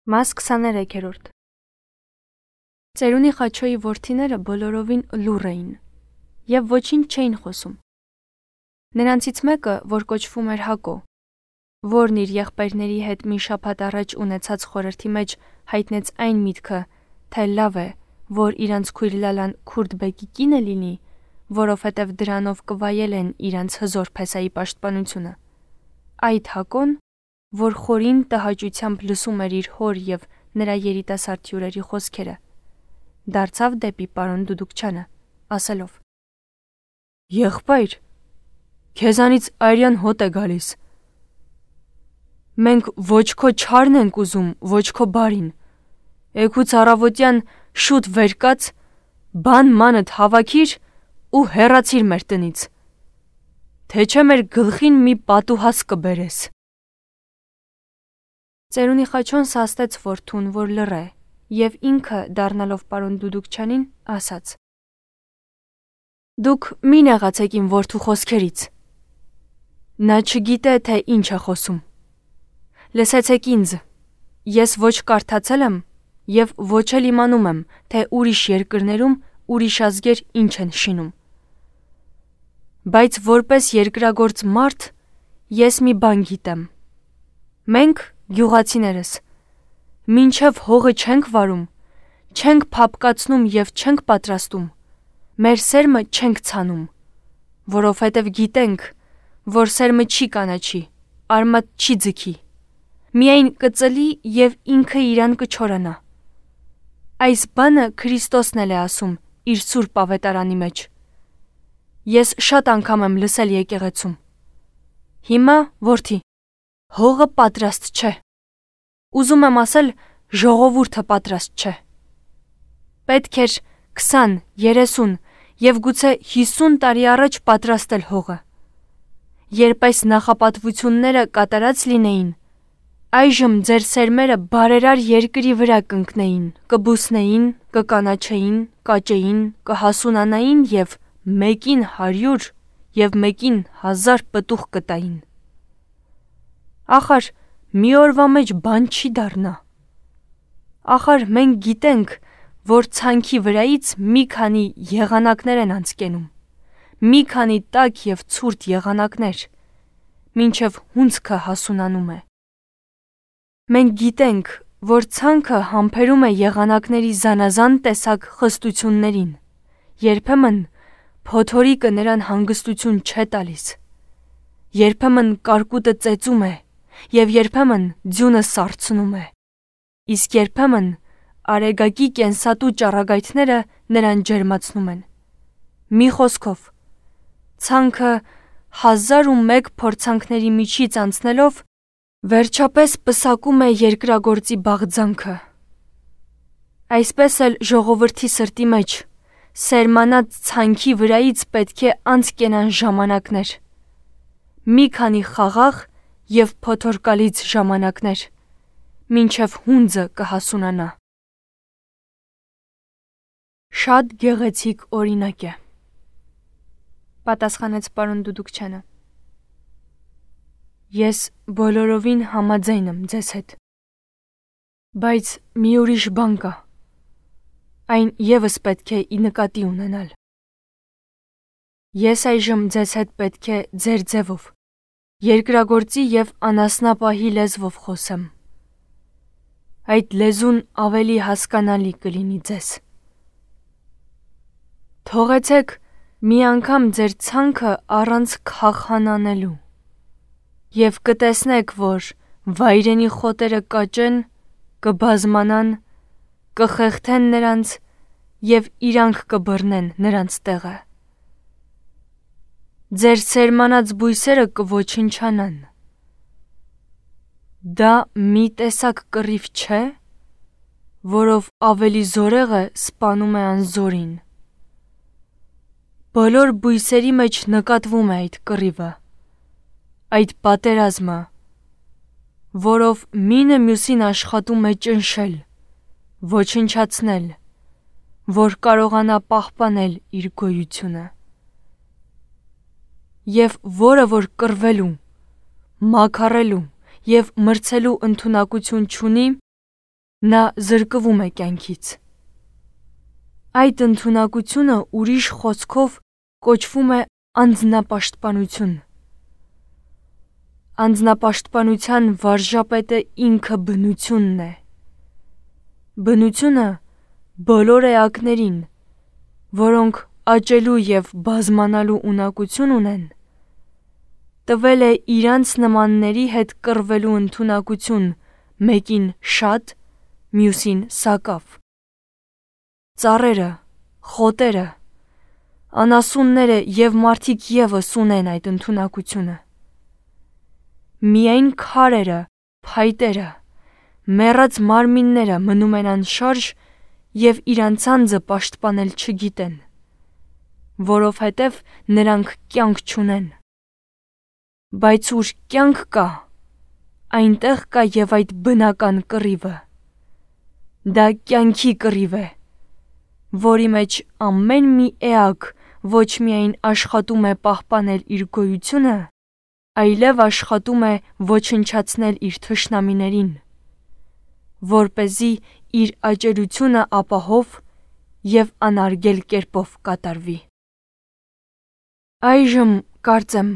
Մաս 23-րդ Ծերունի Խաչոյի որդիները բոլորովին լուռ էին և ոչինչ չէին խոսում։ Նրանցից մեկը, որ կոչվում էր Հակո, որն իր եղբայրների հետ մի շաբաթ առաջ ունեցած խորհրդի մեջ հայտնեց այն միտքը, թե լավ է, որ իրանց քույր Լալան Քուրդ բեկի կինը լինի, որովհետև դրանով կվայելեն իրանց հզոր փեսայի պաշտպանությունը։ Այդ Հակոն, որ խորին տհաճությամբ լսում էր իր հոր և նրա երիտասարդ հյուրերի խոսքերը, դարձավ դեպի պարոն Դուդուկչյանը, ասելով. «Եղբայր, քեզանից այրյան հոտ է գալիս։ Մենք ոչ քո չարն ենք ուզում, ոչ քո բարին։ Էգուց առավոտյան շուտ վեր կաց, բան մանդ հավաքիր ու հեռացիր մեր տնից, թե չէ մեր գլխին մի պատուհաս կբերես»։ Ծերունի Խաչոն սաստեց որդուն, որ լռ է, և ինքը, դառնալով պարոն Դուդուկչյանին, ասաց. «Դուք մի նեղացեք իմ որդու խոսքերից։ Նա չգիտե, թե ինչ է խոսում։ Լսեցեք ինձ, ես ոչ կարդացել եմ և ոչ էլ իմանում եմ, թե ուրիշ երկրներում ուրիշ ազգեր ինչ են շինում։ Բայց որպես երկրագործ մարդ ես մի բան գիտեմ. մենք, գյուղացիներս, մինչև հողը չենք վարում, չենք փափկացնում և չենք պատրաստում, մեր սերմը չենք ցանում, որովհետև գիտենք, որ սերմը չի կանաչի, արմատ չի ձգի, միայն կծլի և ինքը իրան կչորանա։ Այս բանը Քրիստոսն էլ է ասում իր սուրբ ավետարանի մեջ։ Ես շատ անգամ եմ լսել եկեղեցում. հիմա, որդի, հողը պատրաստ չէ։ Ուզում եմ ասել, ժողովուրդը պատրաստ չէ։ Պետք էր 20, 30 և գուցե 50 տարի առաջ պատրաստել հողը։ Երբ այս նախապատվությունները կատարած լինեին, այժմ ձեր սերմերը բարերար երկրի վրա կընկնեին, կբուսնեին, կկանաչեին, կաճեին, կհասունանային և մեկին 100 և մեկին 1000 պտուղ կտային։ Ախար մի օրվա մեջ բան չի դառնա։ Ախար մենք գիտենք, որ ցանքի վրայից մի քանի եղանակներ են անցկենում, մի քանի տաք և ցուրտ եղանակներ, մինչև հունձքը հասունանում է։ Մենք գիտենք, որ ցանքը համբերում է եղանակների զանազան տեսակ խստություններին, երբեմն փոթորիկը նրան հանգստություն չէ տալիս, երբեմն կարկուտը ծեծում է և երբեմն ձյունը սառցնում է, իսկ երբեմն արեգակի կենսատու ճառագայթները նրան ջերմացնում են։ Մի խոսքով, ցանքը 1001 փորձանքների միջից անցնելով վերջապես պսակում է երկրագործի բաղձանքը։ Այսպես էլ ժողովրդի սրտի մեջ սերմանած ցանքի վրայից պետք է անցկենան ժամանակներ, մի քանի խաղաղ և փոթորկալից ժամանակներ, մինչև հունձը կհասունանա։ Շատ գեղեցիկ օրինակ է, պատասխանեց պարոն Դուդուկչյանը։ Ես բոլորովին համաձայն եմ ձեզ հետ։ Բայց մի ուրիշ բան կա, այն ևս պետք է ի նկատի ունենալ։ Ես այժմ ձեզ հետ պետք է ձեր ձևով, երկրագործի և անասնապահի լեզվով խոսեմ։ Այդ լեզուն ավելի հասկանալի կլինի ձեզ։ Թողեցեք մի անգամ ձեր ցանքը առանց քախան անելու, և կտեսնեք, որ վայրենի խոտերը կաճեն, կբազմանան, կխեղդեն նրանց և իրանք կբռնեն նրանց տեղը։ Ձեր սերմանած բույսերը կոչնչանան։ Դա մի տեսակ կռիվ չէ, որով ավելի զորեղը սպանում է անզորին։ Բոլոր բույսերի մեջ նկատվում է այդ կռիվը, այդ պատերազմը, որով մինը մյուսին աշխատում է ճնշել, ոչնչացնել, որ կարողանա պահպանել իր գոյությունը։ Եվ որը որ կռվելու, մաքարելու և մրցելու ընդունակություն չունի, նա զրկվում է կյանքից։ Այդ ընդունակությունը ուրիշ խոսքով կոչվում է անձնապաշտպանություն։ Անձնապաշտպանության վարժապետը ինքը բնությունն է։ Բնությունը բոլոր էակներին, որոնք աճելու և բազմանալու ունակություն ունեն, տվել է իրանց նմանների հետ կռվելու ընդունակություն, մեկին շատ, մյուսին սակավ։ Ծառերը, խոտերը, անասունները և մարդիկ ևս ունեն այդ ընդունակությունը։ Միայն քարերը, փայտերը, մեռած մարմինները մնում են անշարժ և իրանց անձը պաշտպանել չգիտեն, որովհետև նրանք կյանք չունեն։ Բայց ուր կյանք կա, այնտեղ կա և այդ բնական կռիվը։ Դա կյանքի կռիվ է, որի մեջ ամեն մի էակ ոչ միայն աշխատում է պահպանել իր գոյությունը, այլև աշխատում է ոչնչացնել իր թշնամիներին, որպեսզի իր աճելությունը ապահով և անարգել կերպով կատարվի։ Այժմ, կարծեմ,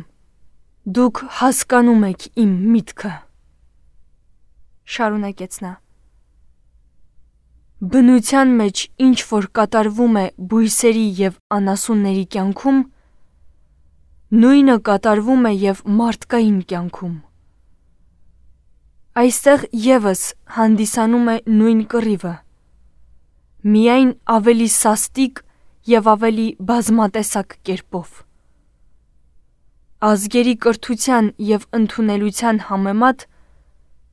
դուք հասկանում եք իմ միտքը, շարունակեց նա։ Բնության մեջ ինչ որ կատարվում է բույսերի և անասունների կյանքում, նույնը կատարվում է և մարդկային կյանքում։ Այստեղ ևս հանդիսանում է նույն կռիվը, միայն ավելի սաստիկ և ավելի բազմատեսակ կերպով։ Ազգերի կրթության և ընդունելության համեմատ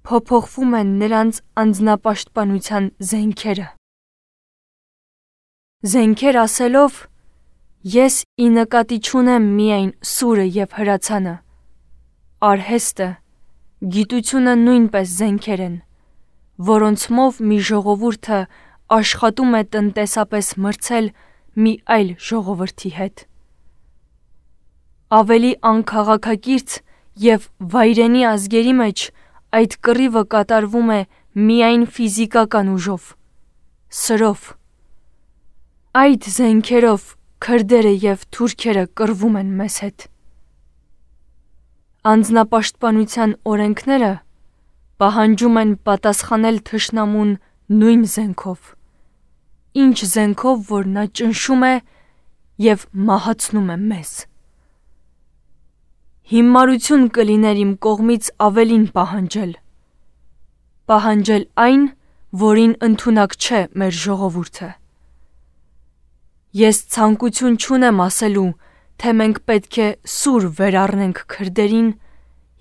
փոփոխվում են նրանց անձնապաշտպանության զենքերը։ Զենքեր ասելով, ես ի նկատի չունեմ միայն սուրը և հրացանը, արհեստը, գիտությունը նույնպես զենքեր են, որոնցմով մի ժողովուրդը աշխատում է տնտեսապես մրցել մի այլ ժողովրդի հետ։ Ավելի անքաղաքակիրթ և վայրենի ազգերի մեջ այդ կռիվը կատարվում է միայն ֆիզիկական ուժով, սրով։ Այդ զենքերով քրդերը և թուրքերը կռվում են մեզ հետ։ Անձնապաշտպանության օրենքները պահանջում են պատասխանել թշնամուն նույն զենքով, ինչ զենքով, որ նա ճնշում է և մահացնում է մեզ։ Հիմարություն կլիներ իմ կողմից ավելին պահանջել այն, որին ընդունակ չէ մեր ժողովուրդը։ Ես ցանկություն չունեմ ասելու, թե մենք պետք է սուր վերառնենք քրդերին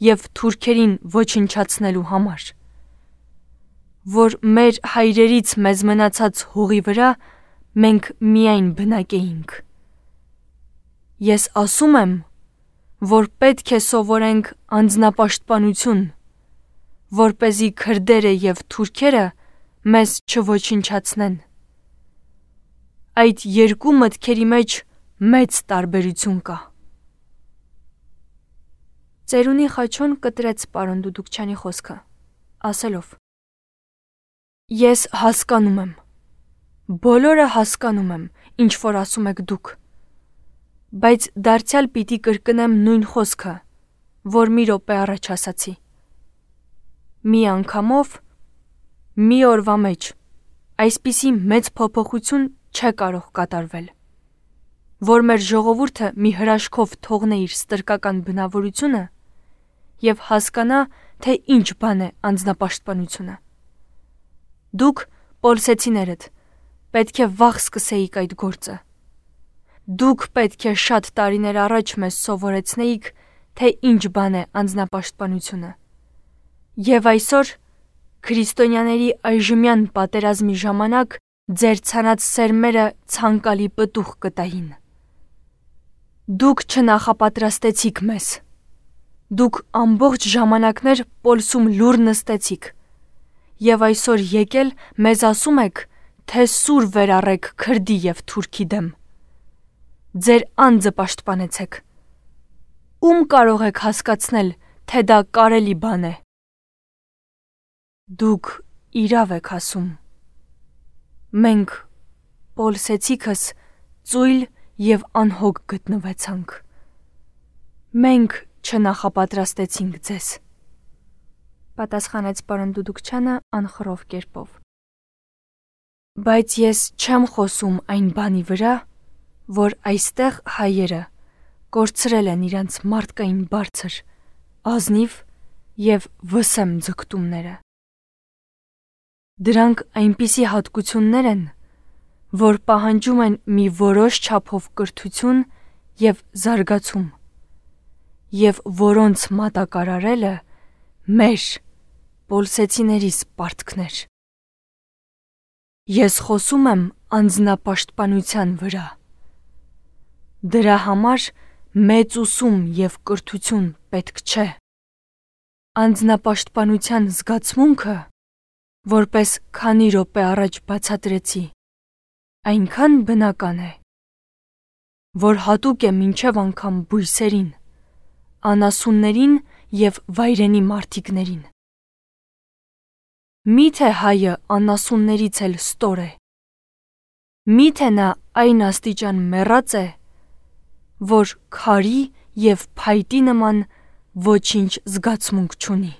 և թուրքերին ոչնչացնելու համար, որ մեր հայրերից մեզ մնացած հողի վրա մենք միայն բնակեինք։ Ես ասում եմ, որ պետք է սովորենք անձնապաշտպանություն, որպեսզի քրդերը և թուրքերը մեզ չոչնչացնեն։ Այդ երկու մտքերի մեջ մեծ տարբերություն կա։ Ծերունի Խաչոն կտրեց պարոն Դուդուկչյանի խոսքը, ասելով. Ես հասկանում եմ, բոլորը հասկանում եմ, ինչ որ ասում եք դուք, բայց դարձյալ պիտի կրկնեմ նույն խոսքը, որ մի րոպե առաջ ասացի։ Մի անգամով, մի օրվա մեջ այսպիսի մեծ փոփոխություն չէ կարող կատարվել, որ մեր ժողովուրդը մի հրաշքով թողնե իր ստրկական բնավորությունը և հասկանա, թե ինչ բան է անձնապաշտպանությունը։ Դուք, պոլսեցիներդ, պետք է վաղ սկսեիք այդ գործը։ Դուք պետք է շատ տարիներ առաջ մեզ սովորեցնեիք, թե ինչ բան է անձնապաշտպանությունը։ Եվ այսօր, քրիստոնյաների այժմյան պատերազմի ժամանակ, ձեր ցանած սերմերը ցանկալի պտուղ կտային։ Դուք չնախապատրաստեցիք մեզ։ Դուք ամբողջ ժամանակներ Պոլսում լուռ նստեցիք և այսօր եկել մեզ ասում եք, թե սուր վերառեք քրդի և թուրքի դեմ։ Ձեր անձը պաշտպանեցեք։ Ում կարող եք հասկացնել, թե դա կարելի բան է։ Դուք իրավ եք ասում։ Մենք պոլսեցիքս ծույլ և անհոգ գտնվեցանք։ Մենք չնախապատրաստեցինք ձեզ, պատասխանեց պարոն Դուդուկչյանը անխռով կերպով։ Բայց ես չեմ խոսում այն բանի վրա, որ այստեղ հայերը կորցրել են իրենց մարդկային բարձր, ազնիվ և վսեմ ձգտումները։ Դրանք այնպիսի հատկություններ են, որ պահանջում են մի որոշ չափով կրթություն և զարգացում, և որոնց մատակարարելը մեր պոլսեցիներիս պարտքն էր։ Ես խոսում եմ անձնապաշտպանության վրա։ Դրա համար մեծ ուսում և կրթություն պետք չէ։ Անձնապաշտպանության զգացմունքը, որպես քանի րոպե առաջ բացատրեցի, այնքան բնական է, որ հատուկ է մինչև անգամ բույսերին, անասուններին և վայրենի մարդիկներին։ Մի՞թե հայը անասուններից էլ ստոր է։ Մի՞թե նա այն աստիճան մեռած է, որ քարի և փայտի նման ոչինչ զգացմունք չունի։